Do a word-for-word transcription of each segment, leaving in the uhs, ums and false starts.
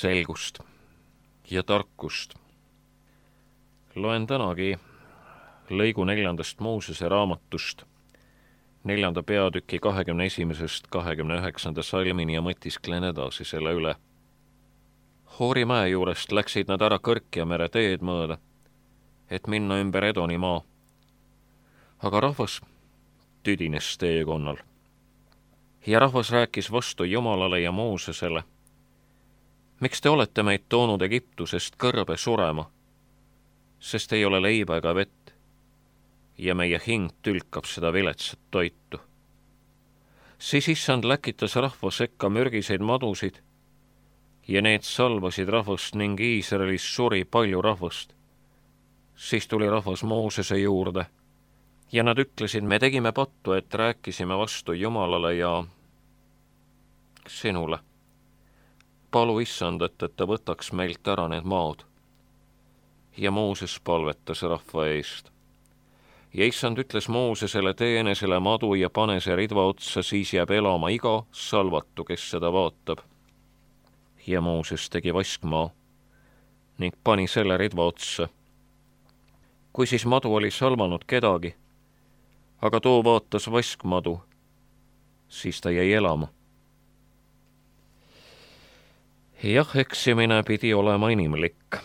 selgust ja tarkust. Loen tänagi lõigu neljandast Moosese raamatust, neljanda peatüki kahekümne esimesest kahekümne üheksanda salmini ja mõtisklen edasi selle üle. Hoori mäe juurest läksid nad ära Kõrkja mere teed mööda, et minna ümber Edoni maa. Aga rahvas tüdines teekonnal. Ja rahvas rääkis vastu Jumalale ja Moosesele: miks te olete meid toonud Egiptusest kõrbe surema, sest ei ole leiba ega vett, ja meie hing tülkab seda viletsat toitu. Siis issand läkitas rahva sekka mürgiseid madusid, ja need salvasid rahvast ning Iisraelis suri palju rahvast. Siis tuli rahvas Moosese juurde, ja nad ütlesid: me tegime pattu, et rääkisime vastu Jumalale ja sinule. Palu issandat, et ta võtaks meilt ära need maad. Ja Mooses palvetas rahva eest. Ja issand ütles Moosesele: tee enesele madu ja pane see ridva otsa, siis jääb elama iga salvatu, kes seda vaatab. Ja Mooses tegi vaskmaa ning pani selle ridva otsa. Kui siis madu oli salvanud kedagi, aga too vaatas vaskmadu, siis ta jäi elama. Jah, eksimine pidi olema inimlik.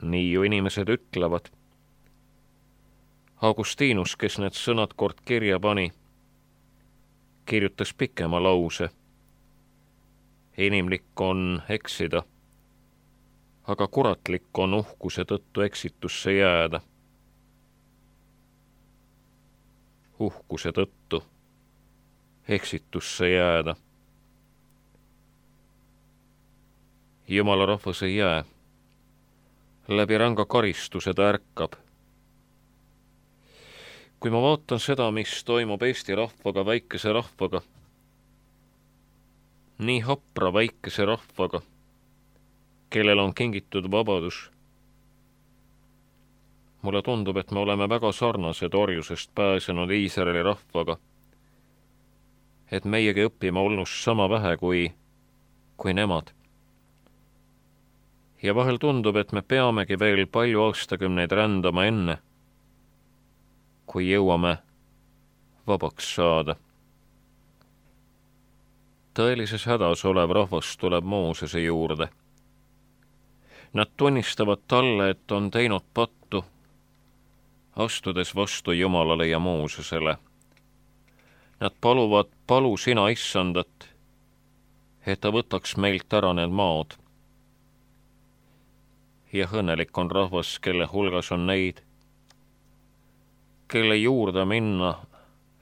Nii ju inimesed ütlevad. Augustinus, kes need sõnad kord kirja pani, kirjutas pikema lause. Inimlik on eksida, aga kuratlik on uhkuse tõttu eksitusse jääda. Uhkuse tõttu eksitusse jääda. Jumala rahvas ei jää. Läbi ranga karistuse ta ärkab. Kui ma vaatan seda, mis toimub Eesti rahvaga, väikese rahvaga, nii hapra väikese rahvaga, kellel on kingitud vabadus, mulle tundub, et me oleme väga sarnased orjusest pääsenud Iisraeli rahvaga, et meiegi õppima olnust sama vähe kui, kui nemad. Ja vahel tundub, et me peamegi veel palju aastakümneid rändama enne, kui jõuame vabaks saada. Tõelises hädas olev rahvas tuleb Moosese juurde. Nad tunnistavad talle, et on teinud pattu, astudes vastu Jumalale ja Moosesele. Nad paluvad: palu sina issandat, et ta võtaks meilt ära need maad. Ja õnnelik on rahvas, kelle hulgas on neid, kelle juurde minna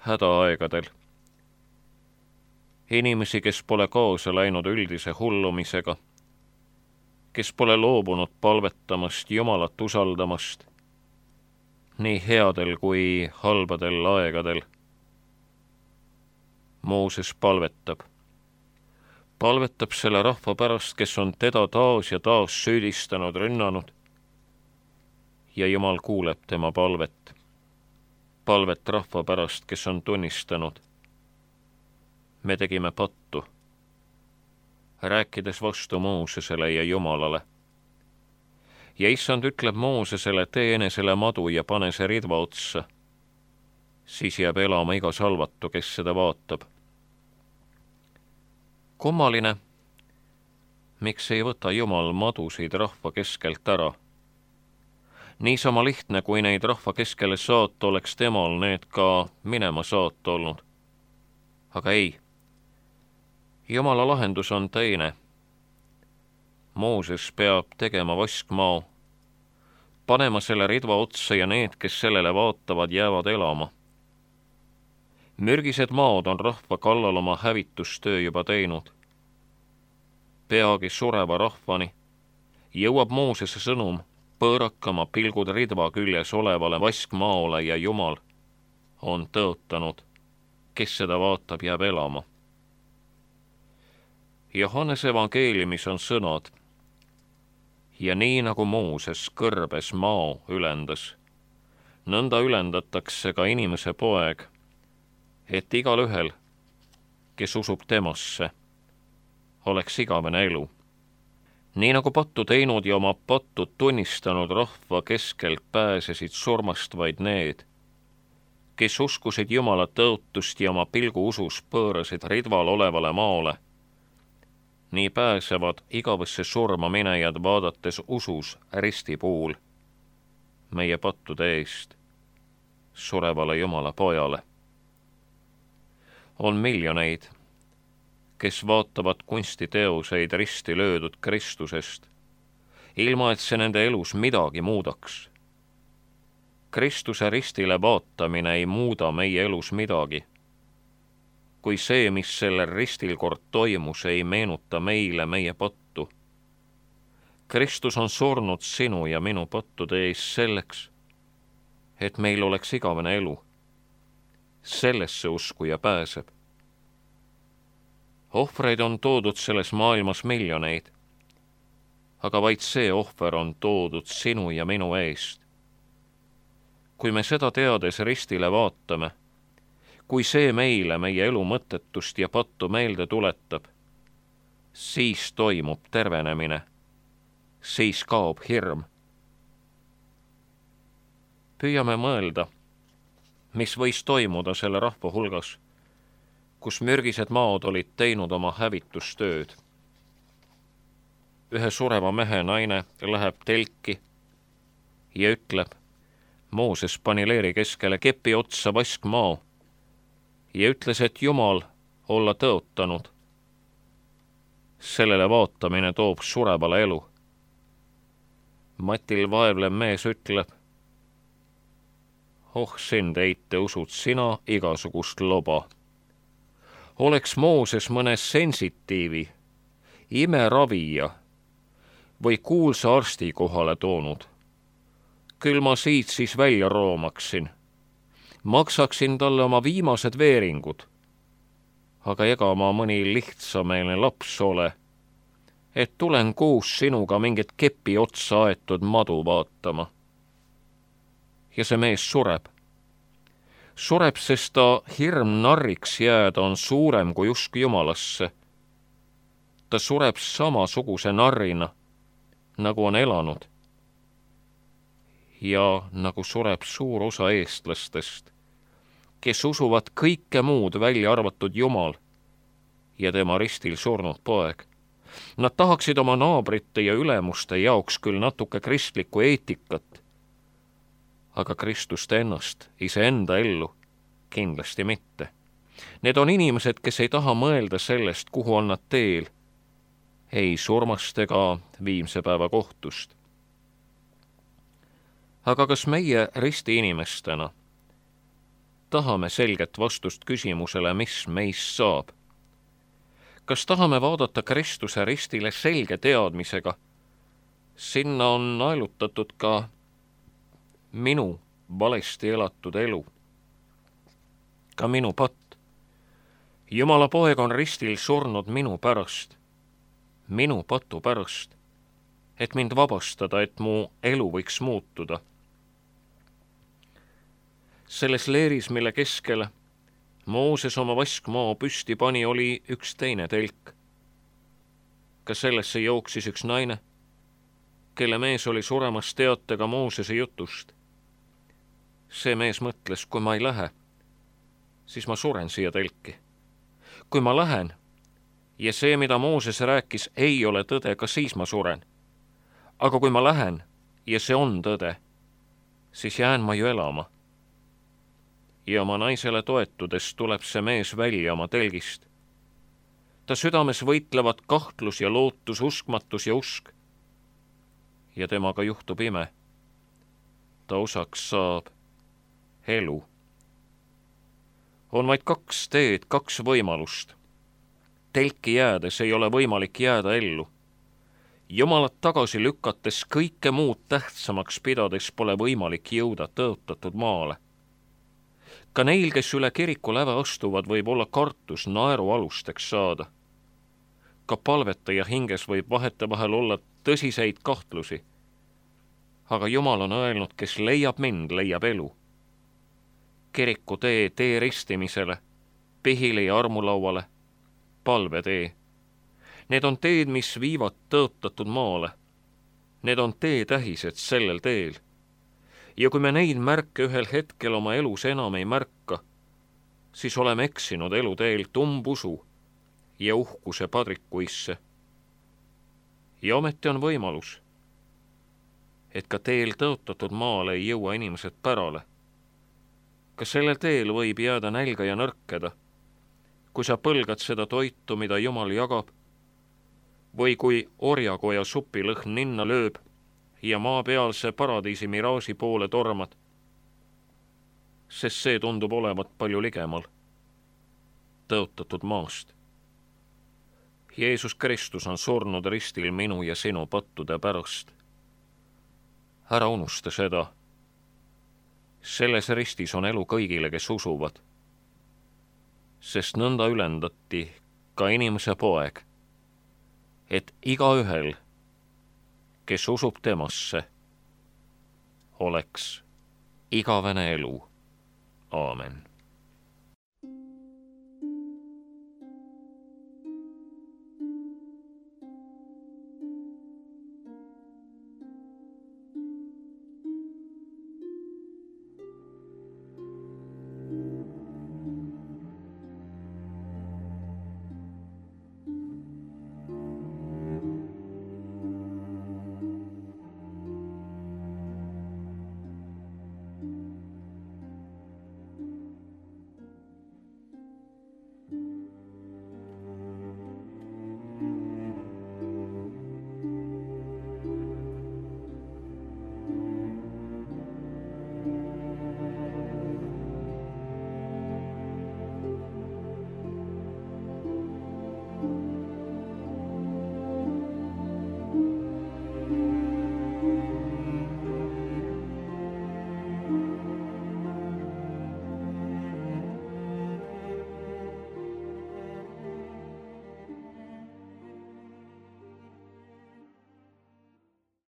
hädaaegadel. Inimesi, kes pole kaasa läinud üldise hullumisega, kes pole loobunud palvetamast, Jumalat usaldamast, nii headel kui halbadel aegadel. Mooses palvetab. Palvetab selle rahva pärast, kes on teda taas ja taas süüdistanud, rünnanud. Ja Jumal kuuleb tema palvet. Palvet rahva pärast, kes on tunnistanud: me tegime pattu, rääkides vastu Moosesele ja Jumalale. Ja issand ütleb Moosesele: tee enesele madu ja pane see ridva otsa, siis jääb elama iga salvatu, kes seda vaatab. Kummaline, miks ei võta Jumal madusid rahva keskelt ära? Niisama lihtne, kui neid rahva keskele saata, oleks temal need ka minema saata olnud. Aga ei. Jumala lahendus on teine. Mooses peab tegema vaskmaa, panema selle ridva otsa ja need, kes sellele vaatavad, jäävad elama. Mürgised maad on rahva kallal oma hävitustöö juba teinud. Peagi sureva rahvani jõuab Moosese sõnum pöörakama pilgud ridva küljes olevale vaskmaole ja Jumal on tõotanud: kes seda vaatab, jääb elama. Johannese evangeeliumis on sõnad: ja nii nagu Mooses kõrbes maa ülendas, nõnda ülendatakse ka inimese poeg, et igal ühel, kes usub temasse, oleks igavene elu. Nii nagu pattu teinud ja oma pattu tunnistanud rahva keskelt pääsesid surmast vaid need, kes uskusid Jumala tõotust ja oma pilgu usus pöörasid ridval olevale maale, nii pääsevad igavesse surma minejad vaadates usus risti puul meie pattude eest surevale Jumala pojale. On miljoneid, kes vaatavad kunstiteoseid risti löödud Kristusest, ilma et see nende elus midagi muudaks. Kristuse ristile vaatamine ei muuda meie elus midagi, kui see, mis sellel ristil kord toimus, ei meenuta meile meie pattu. Kristus on surnud sinu ja minu pattude ees selleks, et meil oleks igavene elu. Sellesse uskuja pääseb. Ohvreid on toodud selles maailmas miljoneid, aga vaid see ohver on toodud sinu ja minu eest. Kui me seda teades ristile vaatame, kui see meile meie elu mõttetust ja pattu meelde tuletab, siis toimub tervenemine, siis kaob hirm. Püüame mõelda, mis võis toimuda selle rahva hulgas, kus mürgised maod olid teinud oma hävitustööd. Ühe sureva mehe naine läheb telki ja ütleb, Mooses pani leeri keskele kepi otsa vaskmao ja ütles, et Jumal olla tõotanud. Sellele vaatamine toob surevale elu. Matil vaevlev mees ütleb, oh sind eite usud sina igasugust loba. Oleks Mooses mõne sensitiivi, imeravija või kuulsa arsti kohale toonud. Küll ma siit siis välja roomaksin, maksaksin talle oma viimased veeringud, aga ega ma mõni lihtsameelne laps ole, et tulen kuus sinuga mingit kepi otsa aetud madu vaatama. Ja see mees sureb. Sureb, sest ta hirm narriks jääda on suurem kui usk Jumalasse. Ta sureb samasuguse narrina, nagu on elanud. Ja nagu sureb suur osa eestlastest, kes usuvad kõike muud välja arvatud Jumal ja tema ristil surnud poeg. Nad tahaksid oma naabrite ja ülemuste jaoks küll natuke kristlikku eetikat, aga Kristust ennast, iseenda ellu, kindlasti mitte. Need on inimesed, kes ei taha mõelda sellest, kuhu on nad teel, ei surmast ega viimse päeva kohtust. Aga kas meie risti inimestena tahame selget vastust küsimusele, mis meist saab? Kas tahame vaadata Kristuse ristile selge teadmisega? Sinna on naelutatud ka minu valesti elatud elu. Ka minu patt. Jumala poeg on ristil surnud minu pärast, minu patu pärast, et mind vabastada, et mu elu võiks muutuda. Selles leeris, mille keskele Mooses oma vaskmaa püsti pani, oli üks teine telk. Ka sellesse jooksis üks naine, kelle mees oli suremas teatega Moosese jutust. See mees mõtles, kui ma ei lähe, siis ma suren siia telki. Kui ma lähen ja see, mida Mooses rääkis, ei ole tõde, ka siis ma suren. Aga kui ma lähen ja see on tõde, siis jään ma ju elama. Ja oma naisele toetudes tuleb see mees välja oma telgist. Ta südames võitlevad kahtlus ja lootus, uskmatus ja usk. Ja temaga juhtub ime. Ta osaks saab elu. On vaid kaks teed, kaks võimalust. Telki jäädes ei ole võimalik jääda ellu. Jumalat tagasi lükates kõike muud tähtsamaks pidades pole võimalik jõuda tõotatud maale. Ka neil, kes üle kiriku läve astuvad, võib olla kartus naeru alusteks saada. Ka palvetaja hinges võib vahetevahel olla tõsiseid kahtlusi. Aga Jumal on öelnud, kes leiab mind, leiab elu. Kiriku tee tee ristimisele, pihile ja armulauale, palve tee. Need on teed, mis viivad tõotatud maale. Need on teetähised sellel teel. Ja kui me neid märke ühel hetkel oma elus enam ei märka, siis oleme eksinud eluteel tumbusu ja uhkuse padrikuisse. Ja ometi on võimalus, et ka teel tõotatud maale ei jõua inimesed pärale. Ka sellel teel võib jääda nälga ja nõrkeda, kui sa põlgad seda toitu, mida Jumal jagab, või kui orjakoja supilõhn ninna lööb ja maapealse paradiisi miraaži poole tormad, sest see tundub olevat palju ligemal tõotatud maast. Jeesus Kristus on surnud ristil minu ja sinu pattude pärast. Ära unusta seda. Selles ristis on elu kõigile, kes usuvad, sest nõnda ülendati ka inimese poeg, et igaühel, kes usub temasse, oleks igavene elu. Aamen.